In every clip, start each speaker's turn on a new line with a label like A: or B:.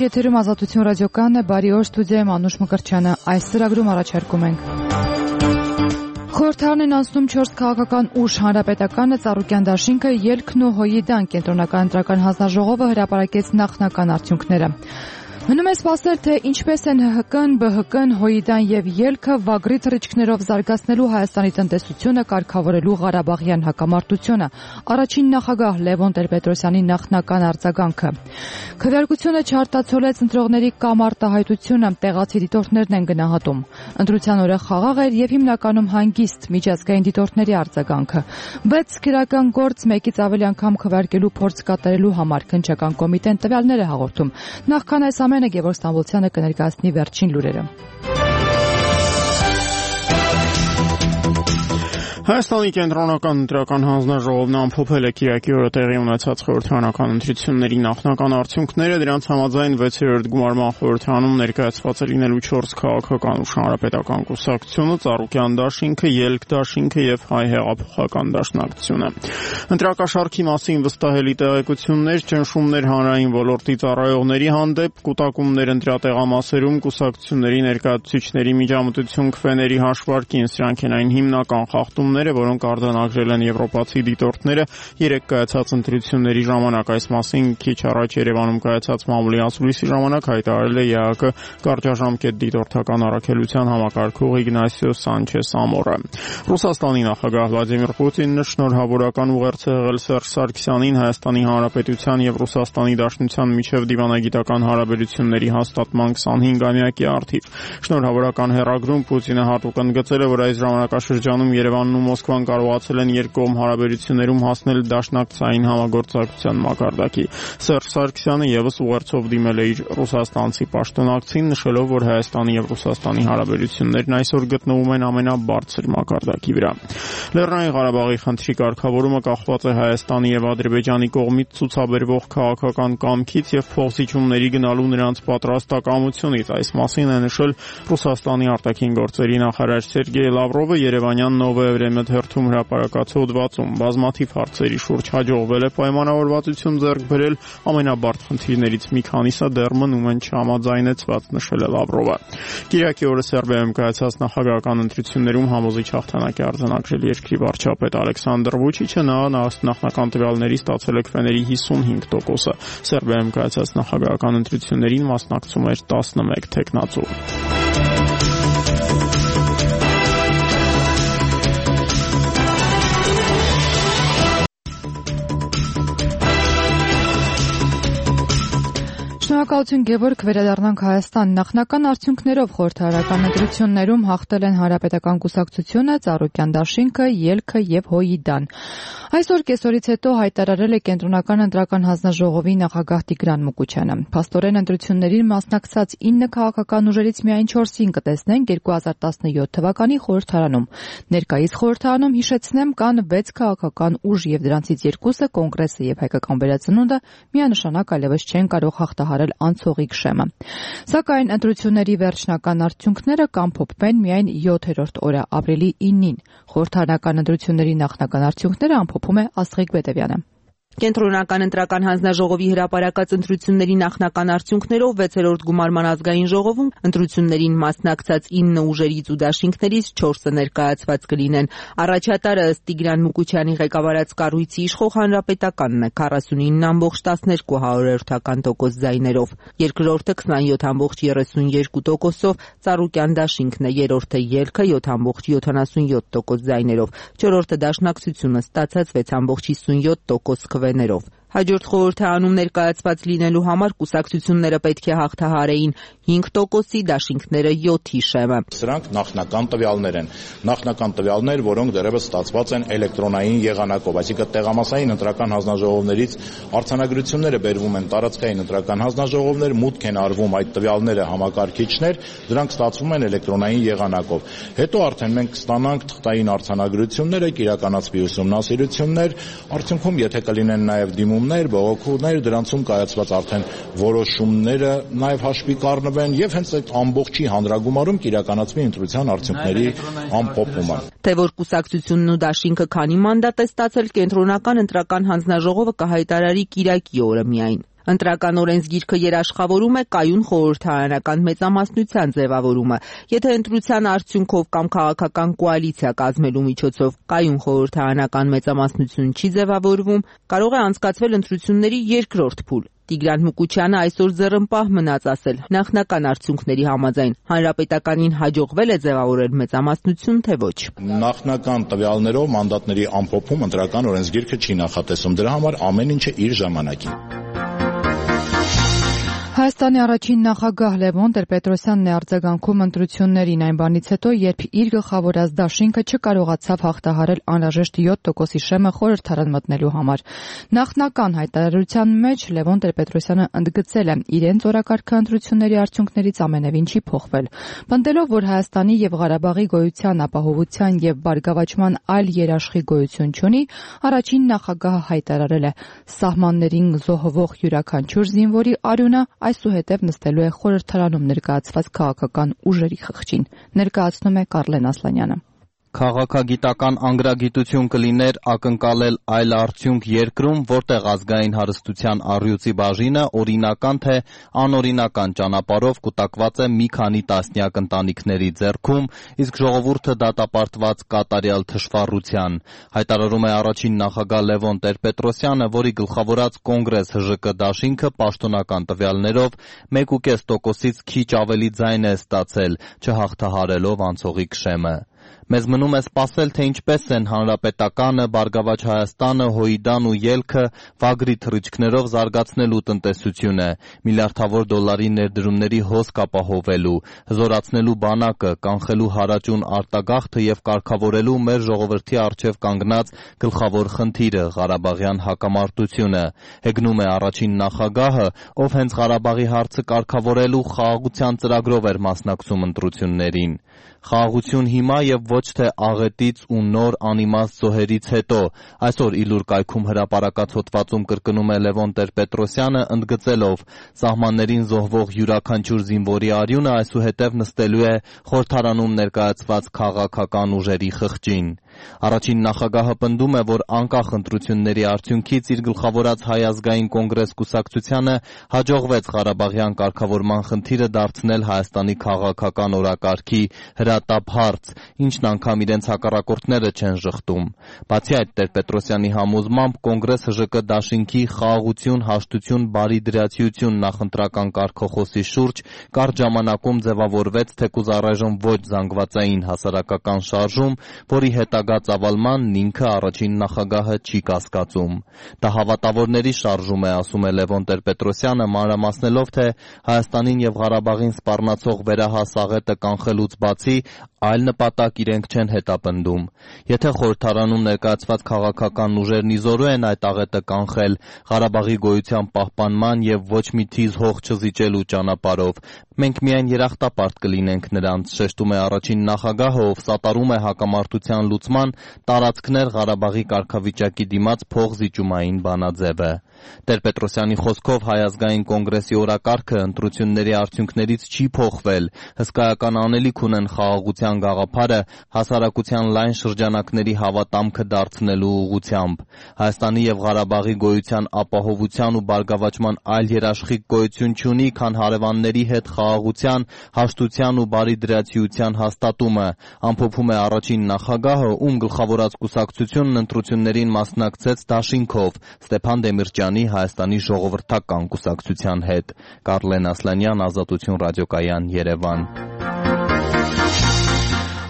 A: Ուղիղ եթերում Ազատություն ռադիոկայանն է, բարի օր, ստուդիայում Անուշ Մկրտչյանը։ Այս ծրագրում առաջարկում ենք. Խորհրդարան են անցնում 4 քաղաքական ուժ, Հանրապետականը, Ծառուկյան դաշինքը, Ելքն ու ՀՅԴ-ն, Կենտրոնական ընտրական հանձնաժողովը հրապարակեց նախնական արդյունքները։ Մնում է սպասել, թե ինչպես են ՀՀԿ-ն, ԲՀԿ-ն, ՀՅԴ-ն եւ ԵԼՔ-ը վագրի թռիչքներով զարգացնելու Հայաստանի տնտեսությունը, կարգավորելու Ղարաբաղյան հակամարտությունը։ Առաջին նախագահ Լևոն Տեր-Պետրոսյանի նախնական արձագանքը։ Քվեարկությունը չարտացոլեց ընտրողների կամ արտահայտությունը, տեղացի դիտորդներն են գնահատում։ Ընտրության օրը խաղաղ էր եւ հիմնականում հանգիստ, միջազգային դիտորդների արձագանքը։ 6 քրական գործ մեկից ավելի անգամ քվեարկելու փորձ կատարելու համար քննչական կոմիտեն տվյալներ է հաղորդում։ Նախքան այս ամենը Գևորգ Ստամբոլցյանը կներկայացնի վերջին լուրերը։
B: Հայաստանի կենտրոնական ընտրական հանձնաժողովն ամփոփել է Կիրակի օրը տեղի ունեցած խորհրդարանական ընտրությունների նախնական արդյունքները, դրանց համաձայն 6-րդ գումարման խորհրդարանում ներկայացված է լինելու 4 քաղաքական ուժ, Հանրապետական կուսակցությունը, Ծառուկյան դաշինքը, Ելք դաշինքը եւ Հայ հեղափոխական դաշնակցությունը։ Ընտրակաշառքի մասին վստահելի տեղեկություններ, ճնշումներ հանրային ոլորտի ծառայողների հանդեպ, կուտակումներ ընտրատեղամասերում, կուսակցությունների ներկայացուցիչների միջամտություն քվեների հաշվարկին, սրանք են այն հիմնական խախտումները, որոնք արձանագրել են եվրոպացի դիտորդները երեք կայացած ընտրությունների ժամանակ։ Այս մասին քիչ առաջ Երևանում կայացած մամուլի ասուլիսի ժամանակ հայտարարել է ԵԱԿ կարճաժամկետ դիտորդական առաքելության համակարգող Իգնասիո Սանչես Ամորը։ Ռուսաստանի նախագահ Վլադիմիր Պուտինը շնորհավորական ուղերձ է եղել Սերժ Սարգսյանին Հայաստանի Հանրապետության եւ Ռուսաստանի Դաշնության միջև դիվանագիտական հարաբերությունների հաստատման 25-ամյակի առթիվ։ Շնորհավորական հեռագրում Պուտինը հատուկ ընդգծել է, որ այս ժամանակաշրջանում Երևանն ու Մոսկվան կարողացել են երկկողմ հարաբերություններում հասնել դաշնակցային համագործակցության մակարդակի։ Սերժ Սարգսյանը եւս ուղերձով դիմել է իր ռուսաստանցի պաշտոնակցին, նշելով, որ Հայաստանի եւ Ռուսաստանի հարաբերություններն այսօր գտնվում են ամենաբարձր մակարդակի վրա։ Լեռնային Ղարաբաղի խնդրի կարգավորումը կախված է Հայաստանի եւ Ադրբեջանի կողմից ցուցաբերվող քաղաքական կամքից եւ փոխզիջումների գնալու նրանց պատրաստակամությունից։ Այս մասին է նշել Ռուսաստանի արտաքին գործերի նախարար Սերգեյ Լավրովը Երևանյան Նովոյ Վրեմյա թերթում հրապարակած հոդվածում։ Բազմաթիվ հարցերի շուրջ հաջողվել է պայմանավորվածություն ձեռք բերել, ամենաբարդ խնդիրներից մի քանիսը դեռ մնում են չհամաձայնեցված, նշել է Լավրովը։ Կիրակի օրը Սերբիայում կայացած նախագահական ընտրություններում համոզիչ հաղթանակ է արձանագրել երկրի վարչապետ Ալեքսանդր Վուչիչը, նա նախնական տվյալների ստացել է քվեների 55%-ը։ Սերբիայում կայացած նախագահական ընտրություններին մասնակցում էր 11 թեկնածու։ Շնորհակալություն Գևորգ, վերադառնանք Հայաստան։ Նախնական արդյունքներով խորհրդարական ընտրություններում հաղթել են Հանրապետական կուսակցությունը, Ծառուկյան դաշինքը, Ելքը եւ ՀՅԴ-ն։ Այսօր կեսօրից հետո հայտարարել է Կենտրոնական ընտրական հանձնաժողովի նախագահ Տիգրան Մուկուչյանը։ Փաստորեն ընտրություններին մասնակցած 9 քաղաքական ուժերից միայն 4-ին կտեսնենք 2017 թվականի խորհրդարանում։ Ներկայիս խորհրդարանում, հիշեցնեմ, կան 6 քաղաքական ուժ եւ դրանցից 2-ը Կոնգրեսը եւ Հայկական վերածնունդը միանշանակ այլևս չեն կարող հաղթահարել անցողիկ շեմը։ Սակայն ընտրությունների վերջնական արդյունքները կամփոփվեն միայն 7-րդ օրը, ապրիլի 9-ին։ Խորհրդարանական ընտրությունների նախնական արդյունքները ամփոփում է Աստղիկ Բետևյանը։
C: Կենտրոնական ընտրական հանձնաժողովի հրապարակած ընտրությունների նախնական արդյունքներով 6-րդ գումարման ազգային ժողովում ընտրություններին մասնակցած 9 ուժերից ու դաշինքներից 4-ը ներկայացված կլինեն։ Առաջատարը ըստ Տիգրան Մուկուչյանի ղեկավարած կառույցի իշխող Հանրապետականն է 49.12% ձայներով, երկրորդը 27.32%-ով, Ծառուկյան դաշինքն է, երրորդը Ելքը 7.77% ձայներով, չորրորդը Դաշնակցությունը ստացած 6.57% քվեներով։ Հաջորդ խորհրդարանում ներկայացված լինելու համար կուսակցությունները պետք է հաղթահարեին 5%-ի, դաշինքները 7-ի շեմը։
D: Սրանք նախնական տվյալներ են։ Նախնական տվյալներ, որոնք դեռևս ստացված են էլեկտրոնային եղանակով, այսինքն տեղամասային ընտրական հանձնաժողովներից արձանագրությունները բերվում են տարածքային ընտրական հանձնաժողովներ, մուտք են արվում այդ տվյալները համակարգիչներ, դրանք ստացվում են էլեկտրոնային եղանակով։ Հետո արդեն մենք կստանանք թղթային արձանագրությունները, կիրականացվի ուսումնասիրություններ, արդյունքում եթե կլինեն նաև դիմումներ, բողոքումներ, դրանցում կայացված արդեն որոշումները նաև հաշվի կառնվեն եւ հենց այդ ամբողջի հանրագումարում կիրականացվի ընտրության արդյունքների ամփոփումը։
C: Թե որ կուսակցությունն ու դաշինքը քանի մանդատ է ստացել, Կենտրոնական ընտրական հանձնաժողովը կհայտարարի կիրակի օրը միայն։ Ընտրական օրենսգիրքը երաշխավորում է կայուն խորհրդարանական մեծամասնության ձևավորումը։ Եթե ընտրության արդյունքով կամ քաղաքական կոալիցիա կազմելու միջոցով կայուն խորհրդարանական մեծամասնություն չի ձևավորվում, կարող է անցկացվել ընտրությունների երկրորդ փուլ։ Տիգրան Մուկուչյանը այսօր ձեռնպահ մնաց ասել, նախնական արդյունքների համաձայն հանրապետականին հաջողվել է ձևավորել մեծամասնություն, թե ոչ։
D: Նախնական տվյալներով մանդատների ամփոփում ընտրական օրենսգիրքը չի նախատեսում, դրա համար ամեն ինչը իր ժամանակին։
A: Հայաստանի առաջին նախագահ Լևոն Տեր-Պետրոսյանն է արձագանքում ընտրություններին այն բանից հետո, երբ իր գլխավորած դաշինքը չկարողացավ հաղթահարել անհրաժեշտ 7%-ի շեմը խորհրդարան մտնելու համար։ Նախնական հայտարարության մեջ Լևոն Տեր-Պետրոսյանը ընդգծել է, իրենց օրակարգը ընտրությունների արդյունքներից ամենևին չի փոխվել։ Պնդելով, որ Հայաստանի եւ Ղարաբաղի գոյության, ապահովության եւ բարգավաճման այլ երաշխի գոյություն չունի, առաջին նախագահը հայտարարել է. սահմաններին զոհվող յուրաքանչյուր զինվորի արյունը այսուհետև նստելու է խորհրդարանում ներկայացված քաղաքական ուժերի խղճին, ներկայացնում է Կարլեն Ասլանյանը։
E: Քաղաքագիտական անգրագիտություն կլիներ ակնկալել այլ արդյունք երկրում, որտեղ ազգային հարստության առյուծի բաժինը օրինական թե անօրինական ճանապարհով կուտակված է մի քանի տասնյակ ընտանիքների ձեռքում, իսկ ժողովուրդը դատապարտված կատարյալ թշվառության, հայտարարում է առաջին նախագահ Լևոն Տեր-Պետրոսյանը, որի գլխավորած Կոնգրես ՀԺԿ դաշինքը պաշտոնական տվյալներով 1.5%-ից քիչ ավելի ձայն է ստացել, չհաղթահարելով անցողիկ շեմը։ Մեզ մնում է սպասել, թե ինչպես են Հանրապետականը, Բարգավաճ Հայաստանը, Հոյդան ու ելքը վագրի թռիչքներով զարգացնելու տնտեսությունը, միլիարդավոր դոլարի ներդրումների հոսք ապահովելու, հզորացնելու բանակը, կանխելու հարաճուն արտագաղթը եւ կարգավորելու մեր ժողովրդի առջեւ կանգնած գլխավոր խնդիրը՝ Ղարաբաղյան հակամարտությունը, հեգնում է առաջին նախագահը, ով հենց Ղարաբաղի հարցը կարգավորելու խաղաղության ծրագրով էր մասնակցում ընտրություններին։ Խաղաղություն հիմա եւ ոչ թե աղետից ու նոր անիմաստ զոհերից հետո, այսօր Իլուր կայքում հրապարակած հոդվածում կրկնում է Լևոն Տեր-Պետրոսյանը, ընդգծելով, սահմաններին զոհվող յուրաքանչյուր զինվորի արյունը այսուհետև նստելու է խորհրդարանում ներկայացված քաղաքական ուժերի խղճին։ Առաջին նախագահը պնդում է, որ անկախ ընտրությունների արդյունքից իր գլխավորած Հայ ազգային կոնգրես կուսակցությանը հաջողվեց Ղարաբաղյան կարգավորման խնդիրը դարձնել Հայաստանի քաղաքական օրակարգի հրատապ հարց, ինչն անգամ իրենց հակառակորդները չեն ժխտում։ Բացի այդ, Տեր-Պետրոսյանի համոզմամբ Կոնգրես ՀԺԿ դաշինքի խաղաղություն, հաշտություն, բարիդրացիություն նախընտրական կարգախոսի շուրջ կարճ ժամանակում ձևավորվեց թեկուզ առայժմ ոչ զանգվածային հասարակական շարժում, որի հետագա ծավալմանն ինքը առաջին նախագահը չի կասկածում։ Դա հավատավորների շարժում է, ասում է Լևոն Տեր-Պետրոսյանը, մանրամասնելով, թե Հայաստանին եւ Ղարաբաղին սպառնացող վերահաս աղետը կանխելուց բացի այլ նպատակ իրենք չեն հետապնդում։ Եթե խորհրդարանում ներկայացված քաղաքական ուժերն իզորու են այդ աղետը կանխել Ղարաբաղի գոյության պահպանման եւ ոչ մի թիզ հող չզիջելու ճանապարհով, մենք միայն երախտապարտ կլինենք նրանց, շեշտում է առաջին նախագահը, ով սատարում է հակամարտության լուծման տարածքներ Ղարաբաղի կարգավիճակի դիմաց փողզիջումային բանաձևը։ Տեր-Պետրոսյանի խոսքով Հայ ազգային կոնգրեսի օրակարգը ընտրությունների արդյունքներից չի փոխվել, հսկայական անելիք ունեն խաղաղության գաղափարը հասարակության լայն շրջանակների հավատամքը դարձնելու ուղղությամբ։ Հայաստանի եւ Ղարաբաղի գոյության ապահովության ու բարգավաճման այլ երաշխիք գոյություն չունի, քան հարևանների հետ խաղաղության, հաշտության ու բարիդրացիության հաստատումը, ամփոփում է առաջին նախագահը, ում գլխավորած կուսակցությունն ընտրություններին մասնակցեց դաշինքով Ստեփան Դեմիրճյանի Հայաստանի ժողովրդական կուսակցության հետ։ Կարլեն Ասլանյան, Ազատություն ռադիոկայան, Երևան։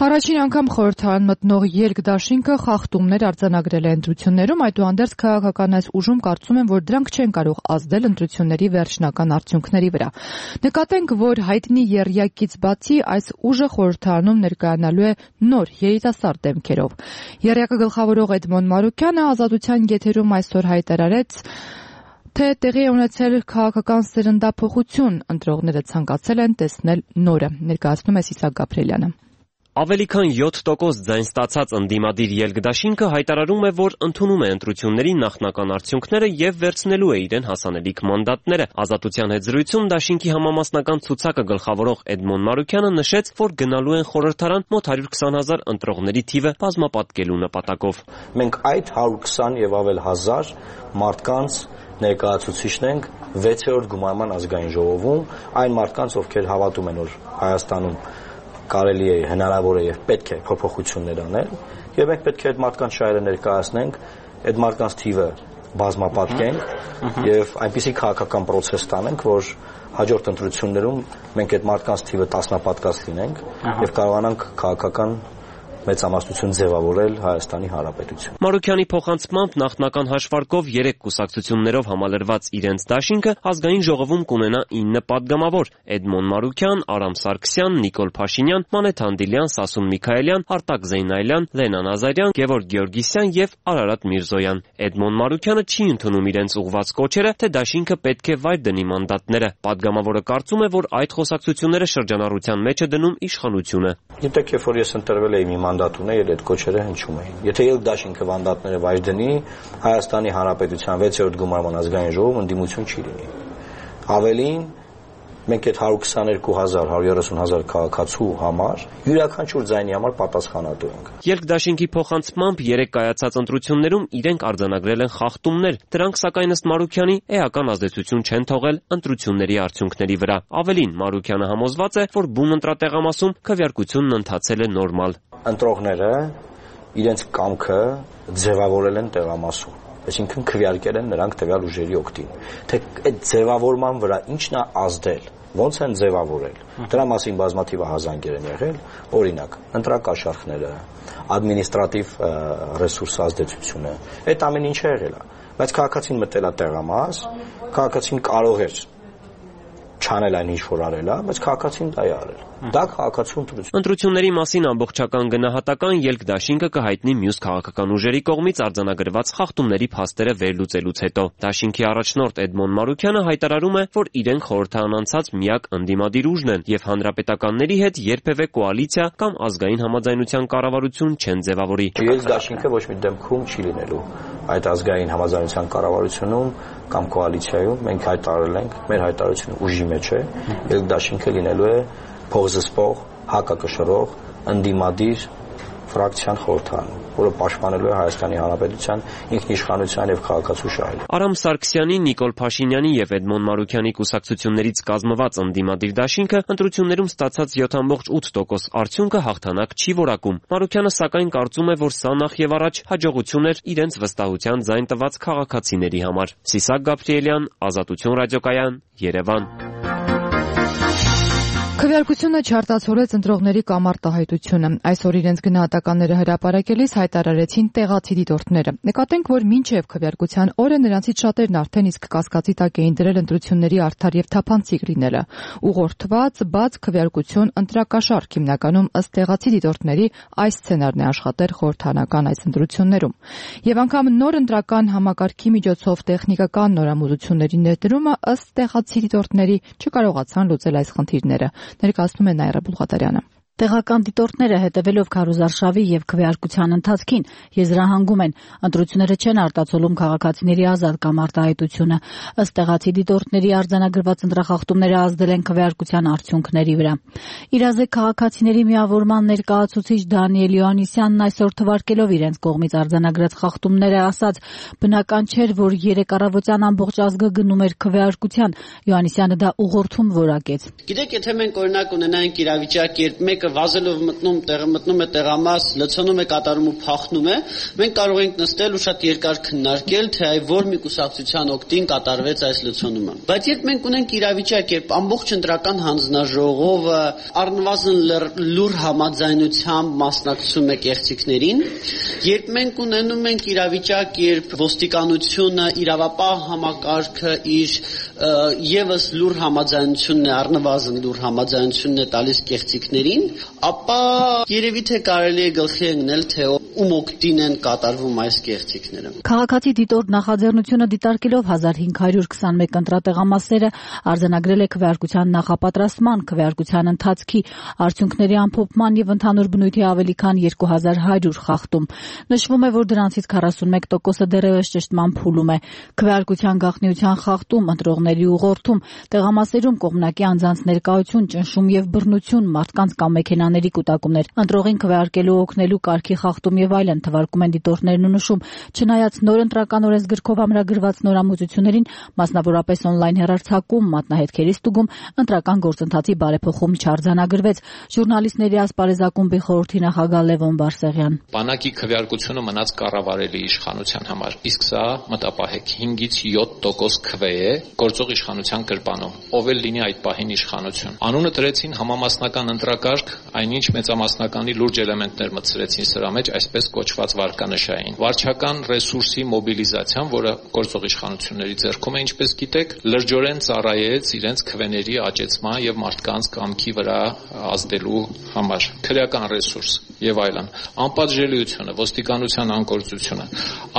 A: Առաջին անգամ խորհրդարան մտնող երկդաշինքը խախտումներ արձանագրել է ընտրություններում, այդուհանդերձ քաղաքական այս ուժում կարծում են, որ դրանք չեն կարող ազդել ընտրությունների վերջնական արդյունքների վրա։ Նկատենք, որ հայտնի եռյակից բացի այս ուժը խորհրդարանում ներկայանալու է նոր երիտասարդ դեմքերով։ Եռյակը գլխավորող Էդմոն Մարուկյանը Ազատության եթերում այսօր հայտարարեց, թե տեղի է ունեցել քաղաքական սերնդափոխություն, ընտրողները ցանկացել են տեսնել նորը, ներկայացնում է Սիսակ Գաբրելյանը։
F: Ավելի քան 7% ձայն ստացած ընդդիմադիր ելքդաշինքը հայտարարում է, որ ընդունում է ընտրությունների նախնական արդյունքները եւ վերցնելու է իրեն հասանելիք մանդատները։ Ազատության հետ զրույցում դաշինքի համամասնական ցուցակը գլխավորող Էդմոն Մարուկյանը նշեց, որ գնալու են խորհրդարան մոտ 120,000 ընտրողների թիվը բազմապատկելու նպատակով։
G: Մենք այդ 120 եւ ավել հազար մարդկանց ներկայացուցիչն ենք 6-րդ գումարման ազգային ժողովում, այն մարդկանց, ովքեր հավատում են, որ Հայաստանում կարելի է, հնարավոր է եւ պետք է փոփոխություններ անել, եւ մենք պետք է այդ մարդկանց շահերը ներկայացնենք, այդ մարդկանց թիվը բազմապատկենք եւ այնպիսի քաղաքական process տանենք, որ հաջորդ ընտրություններում մենք այդ մարդկանց թիվը տասնապատկած լինենք եւ կարողանանք քաղաքական մեծամասնություն ձևավորել Հայաստանի Հանրապետություն։
F: Մարուքյանի փոխանցմամբ նախնական հաշվարկով 3 կուսակցություններով համալրված իրենց դաշինքը ազգային ժողովում կունենա 9 падգամավոր՝ Էդմոն Մարուքյան, Արամ Սարգսյան, Նիկոլ Փաշինյան, Մանեթ Անդիլյան, Սասուն Միքայելյան, Արտակ Զեյնայելյան, Լենա Նազարյան, Գևորգ Գեորգիսյան եւ Արարատ Միրզոյան։ Էդմոն Մարուքյանը չի ընդունում իրենց ուղղված կոչերը, թե դաշինքը պետք է վայր դնի մանդատները։ Падգամավորը կարծում է, որ այդ խոսակցությունները շրջանառության մեջ է դնում իշխանությունը։
G: Գիտեք, երբ որ ես ընտրվել էի մի մանդատ ունել, այդ կոչերը հնչում էին։ Եթե ելք դաշինքը մանդատները վայր դնի, Հայաստանի Հանրապետության 6-րդ գումարման ազգային ժողովում ընդդիմություն չի լինի։ Ավելին, մենք այդ 122,000, 130,000 քաղաքացու համար յուրաքանչյուր ձայնի համար պատասխանատու ենք։
F: Ելք դաշինքի փոխանցմամբ 3 կայացած ընտրություններում իրենք արձանագրել են խախտումներ, դրանք սակայն ըստ Մարուքյանի էական ազդեցություն չեն թողել ընտրությունների արդյունքների վրա։ Ավելին, Մարուքյանը համոզված է, որ բուն ընտրատեղամասում քվեարկությունն ընթացել է նորմալ։
G: Ընտրողները իրենց կամքը ձևավորել են տեղամասում, այսինքն քվեարկել են նրանք տվյալ ուժերի օգտին։ Թե այդ ձևավորման վրա ինչն է ազդել, ոնց են ձևավորել, դրա մասին բազմաթիվ հազանգեր են եղել, օրինակ, ընտրակաշառքները, ադմինիստրատիվ ռեսուրս ազդեցությունը, այդ ամեն ինչը եղել է, բայց քաղաքացին մտել է տեղամաս, քաղաքացին կարող էր չանել այն ինչ որ արել է, բայց քաղաքացին դա է արել։ Դա քաղաքացու ընտրություն։
F: Ընտրությունների մասին ամբողջական գնահատական ելք դաշինքը կհայտնի մյուս քաղաքական ուժերի կողմից արձանագրված խախտումների փաստերը վերլուծելուց հետո։ Դաշինքի առաջնորդ Էդմոն Մարուքյանը հայտարարում է, որ իրենք խորհրդարանացած միակ ընդդիմադիր ուժն են եւ հանրապետականների հետ երբևէ կոալիցիա կամ ազգային համաձայնության կառավարություն չեն ձևավորի։
G: Ելք դաշինքը ոչ մի դեպքում չի լինելու այդ ազգային համաձայնության կառավարությունում կամ կոալիցիայում մենք հայտարարել ենք, մեր հայտարարությունը ուժի մեջ է, ելք դաշինքը լինելու է փողզսպող, հակակշռող, ընդդիմադիր ֆրակցիան խորհրդարանում, որը պաշտպանելու է Հայաստանի Հանրապետության ինքնիշխանության եւ քաղաքացու շահերը։
F: Արամ Սարգսյանի, Նիկոլ Փաշինյանի եւ Էդմոն Մարուքյանի կուսակցություններից կազմված ընդդիմադիր դաշինքը ընտրություններում ստացած 7.8% արդյունքը հաղթանակ չի որակում։ Մարուքյանը սակայն կարծում է, որ սա նախ եւ առաջ հաջողություն էր իրենց վստահության ձայն տված քաղաքացիների համար։ Սիսակ Գաբրիելյան, Ազատություն ռադիոկայան, Երևան։
A: Քվեարկությունը չարտացոլեց ընտրողների կամ արտահայտությունը։ Այսօր իրենց գնահատականները հրապարակելիս հայտարարեցին տեղացի դիտորդները։ Նկատենք, որ մինչև քվեարկության օրը նրանցից շատերն արդեն իսկ կասկածի տակ էին դրել ընտրությունների արդար եւ թափանցիկ լինելը։ Ուղղորդված բաց քվեարկություն ընտրակաշառք հիմնականում ըստ տեղացի դիտորդների այս սցենարն է աշխատել խորհրդարանական այս ընտրություններում։ Եվ անգամ նոր ընտրական համակարգի միջոցով տեխնիկական նորամուծությունների ներդրումը ըստ տեղացի դիտորդների չկարողացան լուծել այս խնդիրները։ Ներկայացնում է Նայիրա Բուլղատարյանը։
H: Տեղական դիտորդները հետևելով քարոզարշավի եւ քվեարկության ընթացքին եզրահանգում են, ընտրությունները չեն արտացոլում քաղաքացիների ազատ կամ արտահայտությունը։ Ըստ տեղացի դիտորդների արձանագրված ընտրախախտումները ազդել են քվեարկության արդյունքների վրա։ Իրազեկ քաղաքացիների միավորման ներկայացուցիչ Դանիել Յոհաննիսյանն այսօր թվարկելով իրենց կողմից արձանագրած խախտումները ասաց, բնական չէր, որ 3 առավոտյան ամբողջ ազգը գնում էր քվեարկության։ Յոհաննիսյանը դա ուղղորդում որակեց։
I: Գիտեք, եթե մենք օրինակ ունենանք իրավիճակ, երբ մեկը վազելով մտնում է տեղամաս, լցոնում է, կատարում ու փախնում է, մենք կարող ենք նստել ու շատ երկար քննարկել, թե որ մի կուսակցության օգտին կատարվեց այս լցոնումը։ Բայց երբ մենք ունենք իրավիճակ, երբ ամբողջ ընտրական հանձնաժողովը առնվազն լուր համաձայնությամբ մասնակցում է կեղծիքներին, երբ մենք ունենում ենք իրավիճակ, երբ ոստիկանությունը, իրավապահ համակարգը իր եւս լուր համաձայնությունն է, առնվազն լուր համաձայնությունն է տալիս կեղծիքներին, ապա երևի թե կարելի է գլխի ընկնել, թե ում օգտին են կատարվում այս կեղծիքները։
H: Քաղաքացի դիտորդ նախաձեռնությունը դիտարկելով 1521 ընտրատեղամասերը արձանագրել է քվեարկության նախապատրաստման, քվեարկության ընթացքի, արդյունքների ամփոփման եւ ընդհանուր բնույթի ավելի քան 2100 խախտում։ Նշվում է, որ դրանցից 41%-ը դեռևս ճշտման փուլում է։ Քվեարկության գաղտնիության խախտում, ընտրողների ուղղորդում, տեղամասերում կողմնակի անձանց ներկայություն, ճնշում եւ բռնություն, մարդկանց կամ ավտոմեքենաների կուտակումներ, ընտրողին քվեարկելու օգնելու կարգի խախտում եւ այլն թվարկում են դիտորդներն ու նշում, չնայած նոր ընտրական օրենսգրքով ամրագրված նորամուծություններին, մասնավորապես on-line հեռարձակում, մատնահետքերի ստուգում, ընտրական գործընթացի բարեփոխում չարձանագրվեց։ Ժուրնալիստների ասպարեզակումբի խորհրդի նախագահ Լևոն Բարսեղյան.
J: Բանակի քվեարկությունը մնաց կառավարելի իշխանության համար, իսկ սա մտապահեք 5-ից 7% քվե է գործող իշխանության գրպանում, ով էլ լինի այդ պահին իշխանություն։ Անունը դրեցին համամասնական ընտրակարգ, այնինչ մեծամասնականի լուրջ էլեմենտներ մտցրեցին սրա մեջ, այսպես կոչված վարկանշային։ Վարչական ռեսուրսի մոբիլիզացիան, որը գործող իշխանությունների ձեռքում է, ինչպես գիտեք, լրջորեն ծառայեց իրենց քվեների աճեցման եւ մարդկանց կամքի վրա ազդելու համար։ Քրեական ռեսուրս եւ այլն, անպատժելիությունը, ոստիկանության անկործությունը,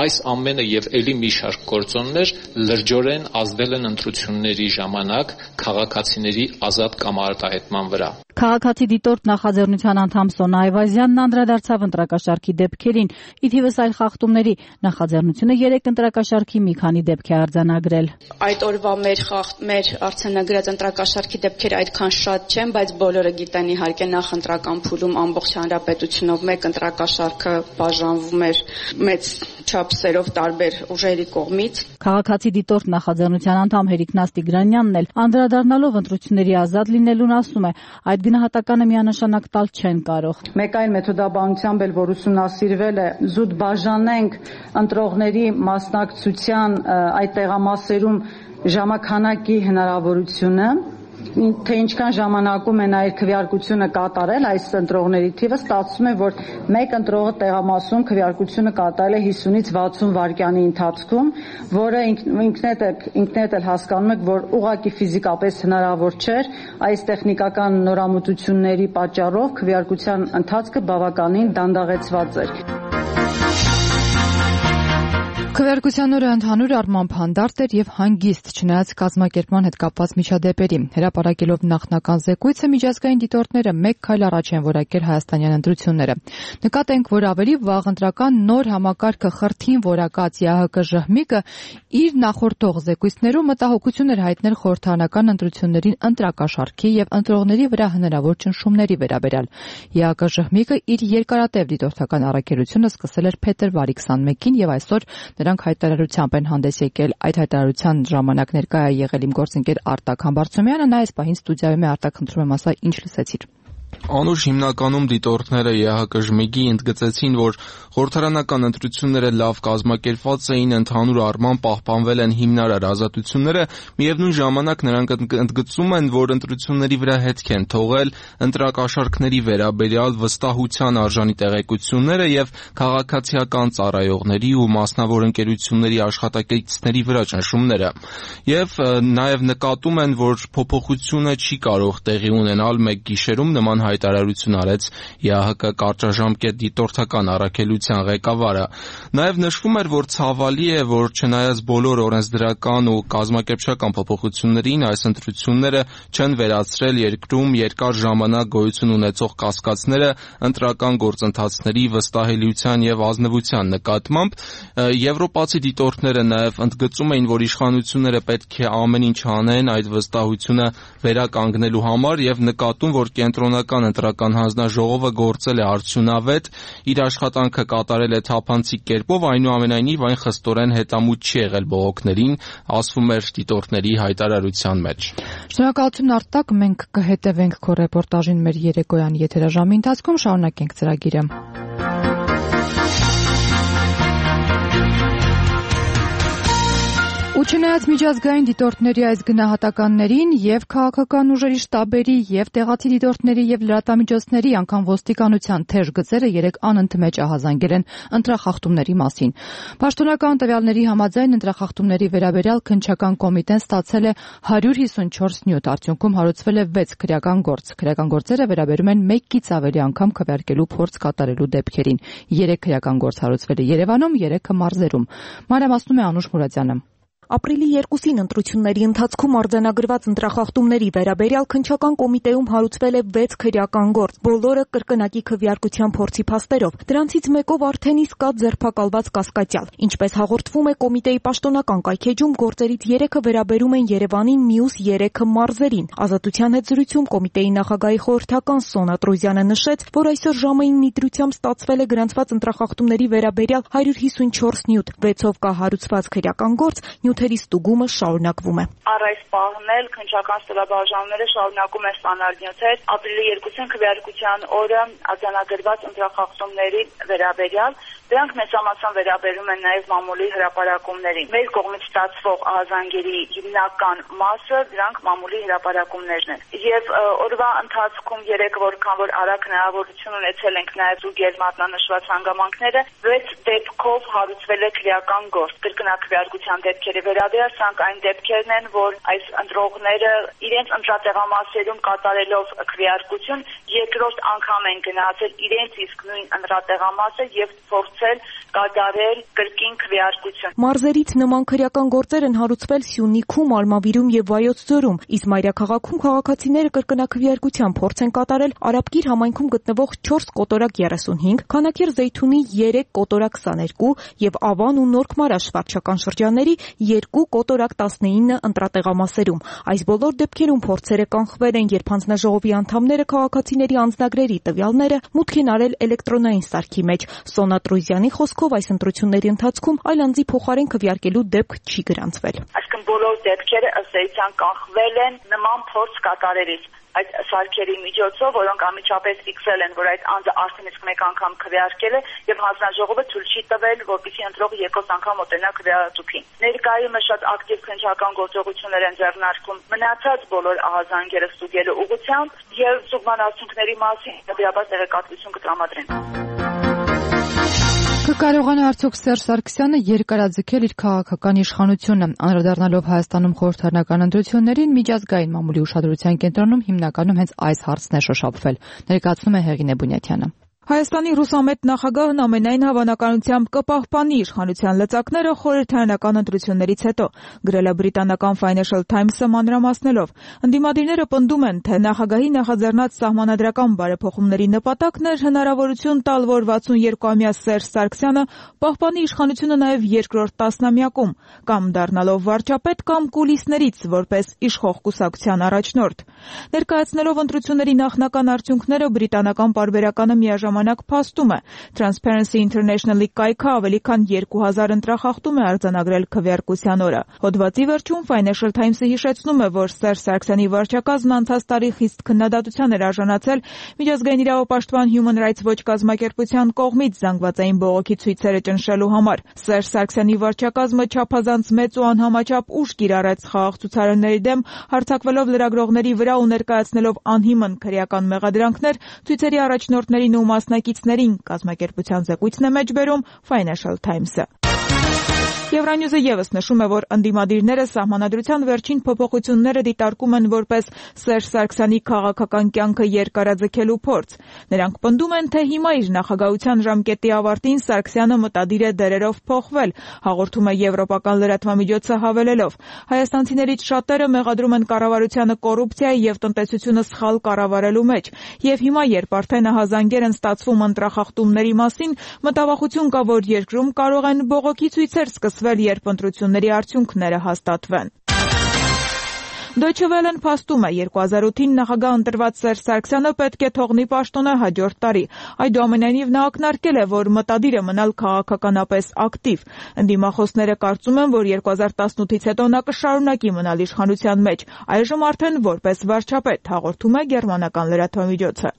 J: այս ամենը եւ ելի մի շարք գործոններ լրջորեն ազդել են ընտրությունների ժամանակ քաղաքացիների ազատ կամ արտահայտման վրա։
H: Քաղաքացի դիտորդ նախաձեռնության անդամ Սոնա Այվազյանն անդրադարձավ ընտրակաշարքի դեպքերին, ի թիվս այլ խախտումների։ Նախաձեռնությունը 3 ընտրակաշարքի մի քանի դեպք է արձանագրել։
K: Այդ օրվա մեր արձանագրած ընտրակաշարքի դեպքերը այդքան շատ չեն, բայց բոլորը գիտեն իհարկե նախ ընտրական փուլում ամբողջ հանրապետությունով մեկ ընտրակաշարքը բաժանվում էր մեծ չափսերով տարբեր ուժերի կողմից։
H: Քաղաքացի դիտորդ նախաձեռնության անդամ Հերիկ Նաստիգրանյանն էլ անդրադառնալով ընտրությունների ազատ լինելուն ասում է, այդ գնահատականը միանշանակ տալ չեն կարող։
L: Մեկ այլ մեթոդաբանությամբ էլ որ ուսումնասիրվել է, զուտ բաժանենք ընտրողների մասնակցության այդ տեղամասերում ժամանականակի հնարավորությունը, թե ինչքան ժամանակում է այդ քվեարկությունը կատարել այս ընտրողների թիվը, ստացվում է, որ մեկ ընտրողը տեղամասում քվեարկությունը կատարել է 50-ից 60 վայրկյանի ընթացքում, որը ինքնեդ էլ հասկանում եք, որ ուղղակի ֆիզիկապես հնարավոր չէր, այս տեխնիկական նորամուծությունների պատճառով քվեարկության ընթացքը բավականին դանդաղեցված էր։
A: Քվեարկության օրը ընդհանուր առմամբ հանդարտ էր եւ հանգիստ, չնայած կազմակերպման հետ կապված միջադեպերի։ Հրապարակելով նախնական զեկույցը միջազգային դիտորդները մեկ քայլ առաջ են որակել հայաստանյան ընտրությունները։ Նկատենք, որ ավելի վաղ ընտրական նոր համակարգը խրթին որակած ԵԱՀԿ ժհմիկը իր նախորդող զեկույցներում մտահոգություն էր հայտնել խորհրդարանական ընտրություններին ընտրակաշարքի եւ ընտրողների վրա հնարավոր ճնշումների վերաբերյալ։ ԵԱՀԿ ժհմիկը իր երկարատև դիտորդական առաքելությունը սկսել էր փետրվարի 21-ին եւ այսօր նրանք հայտարարությամբ են հանդես եկել։ Այդ հայտարարության ժամանակ ներկայ է եղել իմ գործընկեր Արտակ Համբարձումյանը, նա այս պահին ստուդիայում է։ Արտակ, խնդրում եմ ասա, ինչ լսեցիր։
M: Անուշ հիմնականում դիտորդները ԵԱՀԿ ժմիգի ընդգծեցին, որ խորհրդարանական ընտրությունները լավ կազմակերպված էին, ընդհանուր առմամբ պահպանվել են հիմնարար ազատությունները, միևնույն ժամանակ նրանք ընդգծում են, որ ընտրությունների վրա հետք են թողել ընտրակաշարքների վերաբերյալ վստահության արժանի տեղեկությունները եւ քաղաքացիական ծառայողների ու մասնավոր ընկերությունների աշխատակիցների վրա ճնշումները։ Եվ նաեւ նկատում են, որ փոփոխությունը չի կարող տեղի ունենալ մեկ գիշերում, նման հայտարարություն արեց ԵԱՀԿ կարճաժամկետ դիտորդական առաքելության ղեկավարը։ Նաև նշվում էր, որ ցավալի է, որ չնայած բոլոր օրենսդրական ու կազմակերպչական փոփոխություններին, այս ընտրությունները չեն վերացրել երկրում երկար ժամանակ գոյություն ունեցող կասկածները ընտրական գործընթացների վստահելիության եւ ազնվության նկատմամբ։ Եվրոպացի դիտորդները նաև ընդգծում էին, որ իշխանությունները պետք է ամեն ինչ անեն այդ վստահությունը վերականգնելու համար եւ նկատում, որ կենտրոնական ընտրական հանձնաժողովը գործել է արդյունավետ, իր աշխատանքը կատարել է թափանցիկ կերպով, այնուամենայնիվ այն խստորեն հետամուտ չի եղել բողոքներին, ասվում էր դիտորդների հայտարարության մեջ։
A: Շնորհակալություն Արտակ, մենք կհետևենք քո ռեպորտաժին մեր երեկոյան եթերաժամի ընթացքում, շարունակենք ծրագիրը։ Ու չնայած միջազգային դիտորդների այս գնահատականներին եւ քաղաքական ուժերի շտաբերի եւ տեղացի դիտորդների եւ լրատվամիջոցների անգամ ոստիկանության թեժ գծերը երեք անընդմեջ ահազանգել են ընտրախախտումների մասին։ Պաշտոնական տվյալների համաձայն ընտրախախտումների վերաբերյալ քննչական կոմիտեն ստացել է 154 նյութ, արդյունքում հարուցվել է 6 քրեական գործ։ Քրեական գործերը վերաբերում են 1-ից ավելի անգամ քվեարկելու փորձ կատարելու դեպքերին։ 3 քրեական գործ հարուցվել է Երևանում, 3-ը մարզերում։ Մանրամասնում է Անուշ Մուրադյանը։
N: Ապրիլի 2-ին ընտրությունների ընթացքում արձանագրված ընտրախախտումների վերաբերյալ քննչական կոմիտեում հարուցվել է 6 քրեական գործ, բոլորը կրկնակի քվեարկության փորձի փաստերով։ Դրանցից մեկով արդեն իսկ կա ձերբակալված կասկածյալ։ Ինչպես հաղորդվում է կոմիտեի պաշտոնական կայքեջում, գործերից 3-ը վերաբերում են Երևանին, մյուս 3-ը մարզերին։ Ազատության հետ զրույցում կոմիտեի նախագահի խորհրդական Սոնա Տրոզյանը նշեց, որ այսօր ժամը 9-ի դրությամբ ստացվել է գրանցված ընտրախախտումների վերաբերյալ 154 նյութ, 6-ով կա հարուցված քրեական գործ, նյութերի ստուգումը շարունակվում է։
O: Առ այս պահն էլ քննչական ստորաբաժանումները շարունակում են ստանալ նյութեր ապրիլի 2-ին քվեարկության օրը արձանագրված ընտրախախտումների վերաբերյալ։ Դրանք մեծամասամբ վերաբերում են նաև մամուլի հրապարակումներին։ Մեր կողմից ստացվող ահազանգերի հիմնական մասը դրանք մամուլի հրապարակումներն են։ Եվ օրվա ընթացքում 3 որքան որ արագ հնարավորություն ունեցել ենք նաև զուգել մատնանշված հանգամանքները, 6 դեպքով հարուցվել է քրեական գործ։ Կրկնակվեարկության դեպքերի վերաբերյալ սրանք այն դեպքերն են, որ այս ընտրողները իրենց ընտրատեղամասերում կատարելով քվեարկություն երկրորդ անգամ են գնացել իրենց իսկ նույն ընտրատեղամասը եւ փորձել կատարել կրկին քվեարկություն։
N: Մարզերից նման քրեական գործեր են հարուցվել Սյունիքում, Արմավիրում եւ Վայոց ձորում, իսկ Մայրաքաղաքում քաղաքացիները կրկնակվեարկության փորձ են կատարել Արաբկիր համայնքում գտնվող 4 կոտորակ 35, Քանաքեռ Զեյթունի 3 կոտորակ 22 եւ Ավան ու Նորք Մարաշ վարչական շրջանների 2 կոտորակ 19 ընտրատեղամասերում։ Այս բոլոր դեպքերում փորձերը կանխվել են, երբ հանձնաժողովի անդամները քաղաքացիների անձնագրերի տվյալները մուտք են արել էլեկտրոնային սարքի մեջ։ Սոնա Տրոզյանի խոսքով այս ընտրությունների ընթացքում այլ անձի փոխարեն քվեարկելու դեպք չի գրանցվել։
O: Այսինքն բոլոր դեպքերը ըստ էության կանխվել են նման փորձ կատարելիս այդ սարքերի միջոցով, որոնք անմիջապես ֆիքսել են, որ այդ անձը արդեն իսկ մեկ անգամ քվեարկել է եւ հանձնաժողովը ցույց չի տվել, որպեսզի ընտրողը երկրորդ անգամ մոտենա քվեատուփին։ Ներկայումս շատ ակտիվ քննչական գործողություններ են ձեռնարկում մնացած բոլոր ահազանգերը ստուգելու ուղղությամբ եւ ստուգման արդյունքների մասին հետեւաբար տեղեկատվություն կտրամադրեն։
A: Կկարողանա արդյոք Սերժ Սարգսյանը երկարաձգել իր քաղաքական իշխանությունը, անդրադառնալով Հայաստանում խորհրդարանական ընտրություններին, միջազգային մամուլի ուշադրության կենտրոնում հիմնականում հենց այս հարցն է շոշափվել, ներկայացնում է Հեղինե Բունյաթյանը։
N: Հայաստանի ռուսամետ նախագահն ամենայն հավանականությամբ կպահպանի իշխանության լծակները խորհրդարանական ընտրություններից հետո, գրել է բրիտանական Financial Times-ը մանրամասնելով։ Ընդդիմադիրները պնդում են, թե նախագահի նախաձեռնած սահմանադրական բարեփոխումների նպատակն էր հնարավորություն տալ, որ 62-ամյա Սերժ Սարգսյանը պահպանի իշխանությունը նաև երկրորդ տասնամյակում, կամ դառնալով վարչապետ, կամ կուլիսներից որպես իշխող կուսակցության առաջնորդ։ Ներկայացնելով ընտրությունների նախնական արդյունքները, բրիտանական պարբերականը միաժամանակ փաստում է։ Transparency International-ի կայքը ավելի քան 2000 ընտրախախտում է արձանագրել քվեարկության օրը։ Հոդվածի վերջում Financial Times-ը հիշեցնում է, որ Սերժ Սարգսյանի վարչակազմն անցած տարի խիստ քննադատության էր արժանացել Միջազգային իրավապաշտպան Human Rights Watch կազմակերպության կողմից զանգվածային բողոքի ցույցերը ճնշելու համար։ Սերժ Սարգսյանի վարչակազմը չափազանց մեծ ու անհամաչափ ուժ կիրառեց խաղաղ ցուցարարների դեմ, հարձակվելով լրագրողների վրա ու ներկայացնելով անհիմն քրեական մեղադրանքներ ցույցերի առաջնորդներին ու մասնակիցներին, կազմակերպության զեկույցն է մեջբերում Financial Times-ը։ Եվրանյուզը եւս նշում է, որ ընդդիմադիրները սահմանադրության վերջին փոփոխությունները դիտարկում են որպես Սերժ Սարգսյանի քաղաքական կյանքը երկարաձգելու փորձ։ Նրանք պնդում են, թե հիմա իր նախագահության ժամկետի ավարտին Սարգսյանը մտադիր է դերերով փոխվել, հաղորդում է եվրոպական լրատվամիջոցը հավելելով. հայաստանցիներից շատերը մեղադրում են կառավարությանը կոռուպցիայի եւ տնտեսությունը սխալ կառավարելու մեջ, եւ հիմա, երբ արդեն ահազանգեր են ստացվում ընտրախախտումների մասին, մտավախություն կա, որ երկրում կարող են բողոքի ցույցեր սկսվել, երբ ընտրությունների արդյունքները հաստատվեն։ Deutsche Welle-ն փաստում է 2008-ին նախագահ ընտրված Սերժ Սարգսյանը պետք է թողնի պաշտոնը հաջորդ տարի։ Այդուամենայնիվ նա ակնարկել է, որ մտադիր է մնալ քաղաքականապես ակտիվ։ Ընդդիմախոսները կարծում են, որ 2018-ից հետո նա կշարունակի մնալ իշխանության մեջ, այժմ արդեն որպես վարչապետ, հաղորդում է գերմանական լրատվամիջոցը։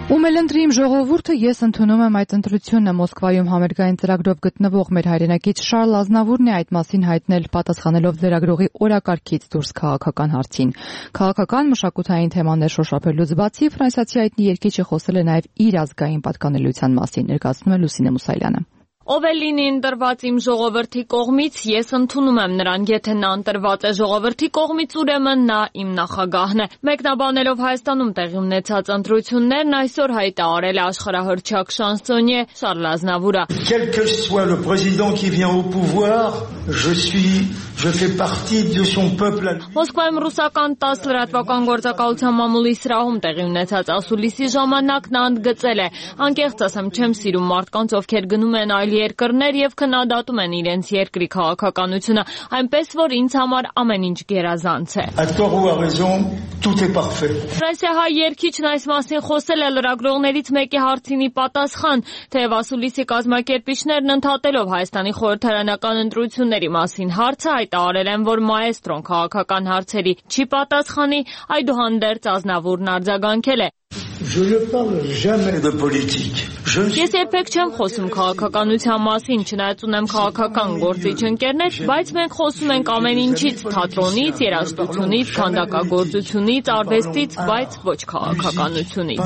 A: Ում էլ ընտրիմ ժողովուրդը, ես ընդունում եմ այդ ընտրությունը։ Մոսկվայում համերգային ծրագրով գտնվող մեր հայրենակից Շարլ Ազնավուրն է այդ մասին հայտնել, պատասխանելով լրագրողի օրակարգից դուրս քաղաքական հարցին։ Քաղաքական մշակութային թեմաներ շոշափելուց բացի, ֆրանսիացի հայտնի երգիչը խոսել է նաև իր ազգային պատկանելիության մասին, ներկայացնում է Լուսինե Մուսայելյանը։
P: Ով է լինի ընտրված իմ ժողովրդի կողմից, ես ընդունում եմ նրան, եթե նա ընտրված է ժողովրդի կողմից, ուրեմն նա իմ նախագահն է։ Մեկնաբանելով Հայաստանում տեղի ունեցած ընտրություններն այսօր հայտարարել է աշխարհահռչակ շանսոնյե Շարլ Ազնավուրը։
Q: Quel que soit le président qui vient au pouvoir, je fais partie de son peuple.
P: Մոսկվայում ռուսական 10 լրատվական գործակալության մամուլի սրահում տեղի ունեցած ասուլիսի ժամանակ նա ընդգծել է. անկեղծ ասեմ, չեմ սիրում մարդկանց, ովքեր գնում են այլ երկրներ եւ քննադատում են իրենց երկրի քաղաքականությունը, այնպես որ ինձ համար ամեն ինչ գերազանց է։ Ֆրանսիահայ երգիչն այս մասին խոսել է լրագրողներից մեկի հարցինի պատասխան, թեև ասուլիսի կազմակերպիչներն ընդհատելով Հայաստանի խորհրդարանական ընտրությունների մասին հարցը հայտարարել են, որ մաեստրոն քաղաքական հարցերի չի պատասխանի, այդուհանդերձ Ազնավուրն արձագանքել է. Ես երբեք չեմ խոսում քաղաքականության մասին, չնայած ունեմ քաղաքական գործիչ ընկերներ, բայց մենք խոսում ենք ամեն ինչից, թատրոնից, երաժշտությունից, քանդակագործությունից, արվեստից, բայց ոչ քաղաքականությունից։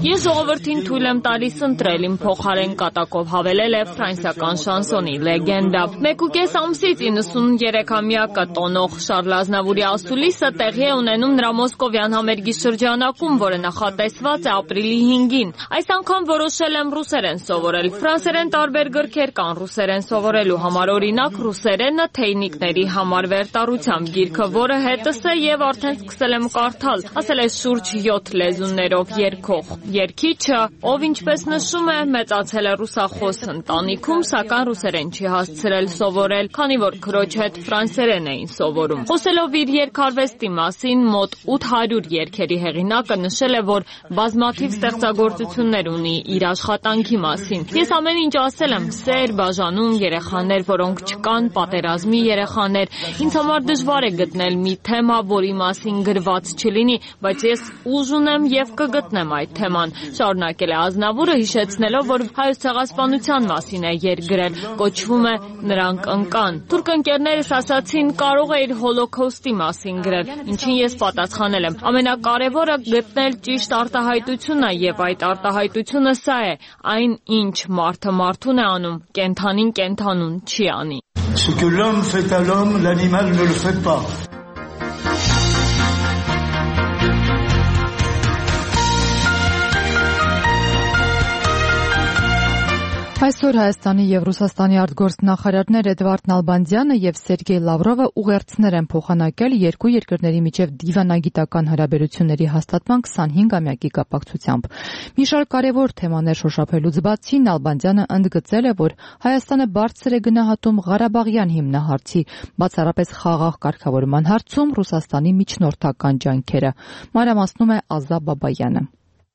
P: Ես ժողովրդին թույլ եմ տալիս ընտրել իմ փոխարեն կատակով հավելել է ֆրանսիական շանսոնի լեգենդա։ 1.5 ամսից 93-ամյակը տոնող Շարլ Ազնավուրի ասուլիսը տեղի է ունենում նրա մոսկովյան համերգի շրջանակում, որը նախատեսված է ապրիլի 5-ին։ Այս անգամ որոշել եմ ռուսերեն սովորել։ Ֆրանսերեն տարբեր գրքեր կան ռուսերեն սովորելու համար, օրինակ ռուսերենը թեյնիկների համար վերտառությամբ գիրքը, որը հետս է եւ արդեն սկսել եմ կարդալ, ասել է շուրջ 7 լեզուներով երգող երգիչը, ով ինչպես նշում է, մեծացել է ռուսախոս ընտանիքում, սակայն ռուսերեն չի հասցրել սովորել, քանի որ քրոջ հետ ֆրանսերեն էին սովորում։ Խոսելով իր երգարվեստի մասին, մոտ 800 երգերի հեղինակը նշել է, որ բազմաթիվ ստեղծագործություններ ունի իր աշխատանքի մասին։ Ես ամեն ինչ ասել եմ, սեր, բաժանում, երեխաներ, որոնք չկան, պատերազմի երեխաներ։ Ինձ համար դժվար է գտնել մի թեմա, որի մասին գրված չլինի, բայց ես ուժ ունեմ եւ կգտնեմ այդ թեման։ Շարունակել է Ազնավուրը, հիշեցնելով, որ հայոց ցեղասպանության մասին է երգ գրել, կոչվում է Նրանք ընկան։ Թուրք ընկերներս ասացին, կարող է իր հոլոքոստի մասին գրել, ինչին ես պատասխանել եմ. ամենակարևորը գտնել ճիշտ արտահայտությունը եւ այդ արտահայտությունը սա է. այն ինչ մարդը մարդուն է անում, կենդանին կենդանուն չի անի։
Q: Ce que l'homme fait à l'homme, l'animal ne le fait pas.
A: Այսօր Հայաստանի եւ Ռուսաստանի արտգործնախարարներ Էդվարդ Նալբանդյանը եւ Սերգեյ Լավրովը ուղերձներ են փոխանակել երկու երկրների միջև դիվանագիտական հարաբերությունների հաստատման 25-ամյակի կապակցությամբ։ Մի շարք կարևոր թեմաներ շոշափելուց բացի Նալբանդյանը ընդգծել է, որ Հայաստանը բարձր է գնահատում Ղարաբաղյան հիմնահարցի, բացառապես խաղաղ կարգավորման հարցում Ռուսաստանի միջնորդական ջանքերը։ Մանրամասնում է Ազա Բաբայանը։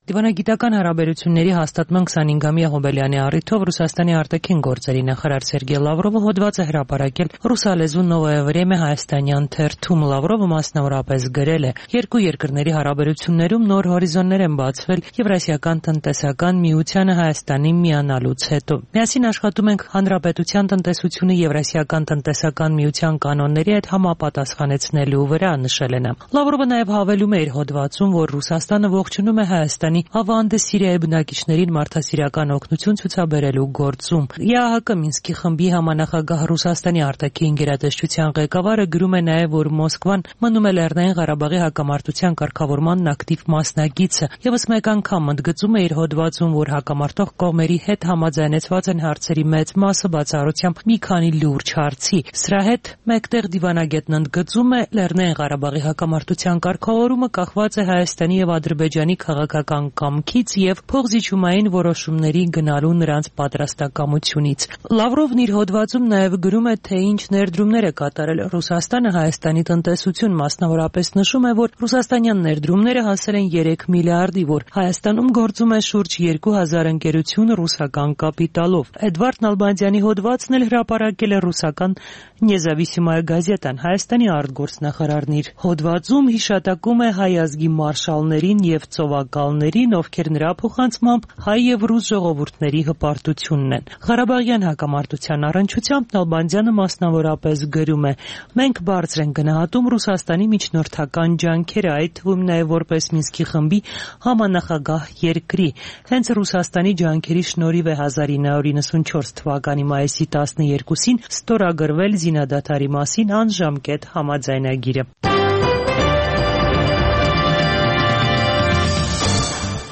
R: Դիվանագիտական հարաբերությունների հաստատման 25-ամյա հոբելյանի առիթով Ռուսաստանի արտաքին գործերի նախարար Սերգեյ Լավրովը հոդված է հրապարակել ռուսալեզու Նովոյե Վրեմե հայաստանյան թերթում։ Լավրովը մասնավորապես գրել է. երկու երկրների հարաբերություններում նոր հորիզոններ են բացվել Եվրասիական տնտեսական միությանը Հայաստանի միանալուց հետո։ Միասին աշխատում ենք հանրապետության տնտեսությունը Եվրասիական տնտեսական միության կանոնների հետ համապատասխանեցնելու վրա, նշել է նա։ Լավրովը նաև հավելում է իր հոդվածում, որ Ռուսաստանը ողջունում է Հայաստանի ավանդը Սիրիայի բնակիչներին մարդասիրական օգնություն ցուցաբերելու գործում։ ԵԱՀԿ Մինսկի խմբի համանախագահ Ռուսաստանի արտաքին գերատեսչության ղեկավարը գրում է նաև, որ Մոսկվան մնում է Լեռնային Ղարաբաղի հակամարտության կարգավորման ակտիվ մասնակիցը։ Եվս մեկ անգամ ընդգծում է իր հոդվածում, որ հակամարտող կողմերի հետ համաձայնեցված են հարցերի մեծ մասը, բացառությամբ մի քանի լուրջ հարցի։ Սրա հետ մեկտեղ դիվանագետն ընդգծում է, Լեռնային Ղարաբաղի հակամարտության կարգավորումը կախված է Հայաստանի եւ Ադրբեջանի քաղաքական կամքից եւ փոխզիջումային որոշումների գնալու նրանց պատրաստակամությունից։ Լավրովն իր հոդվածում նաև գրում է, թե ինչ ներդրումներ է կատարել Ռուսաստանը Հայաստանի տնտեսություն, մասնավորապես նշում է, որ ռուսաստանյան ներդրումները հասել են 3 միլիարդի, որ Հայաստանում գործում է շուրջ 2000 ընկերություն ռուսական կապիտալով։ Էդվարդ Նալբանդյանի հոդվածն էլ հրապարակել է ռուսական Նեզավիսիմայա գազետան։ Հայաստանի արտգործնախարարն իր հոդվածում հիշատակում է հայ ազգի մարշալներին եւ ծովակալներին, զինվորներին, ովքեր նրա փոխանցմամբ հայ եւ ռուս ժողովուրդների հպարտությունն են։ Ղարաբաղյան հակամարտության առնչությամբ Նալբանդյանը մասնավորապես գրում է. «Մենք բարձր ենք գնահատում Ռուսաստանի միջնորդական ջանքերը, այդ թվում նաեւ որպես Մինսկի խմբի համանախագահ երկրի։ Հենց Ռուսաստանի ջանքերի շնորհիվ է 1994 թվականի մայիսի 12-ին ստորագրվել զինադադարի մասին անժամկետ համաձայնագիրը»։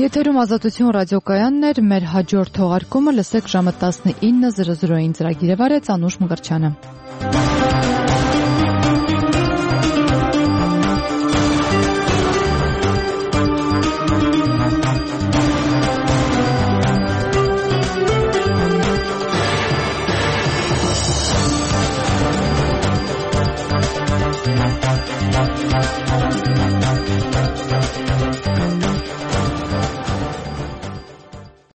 A: Եթերում Ազատություն ռադիոկայանն էր, մեր հաջորդ թողարկումը լսեք ժամը 19:00-ին ծրագիրը վարեց Անուշ Մկրտչյանը։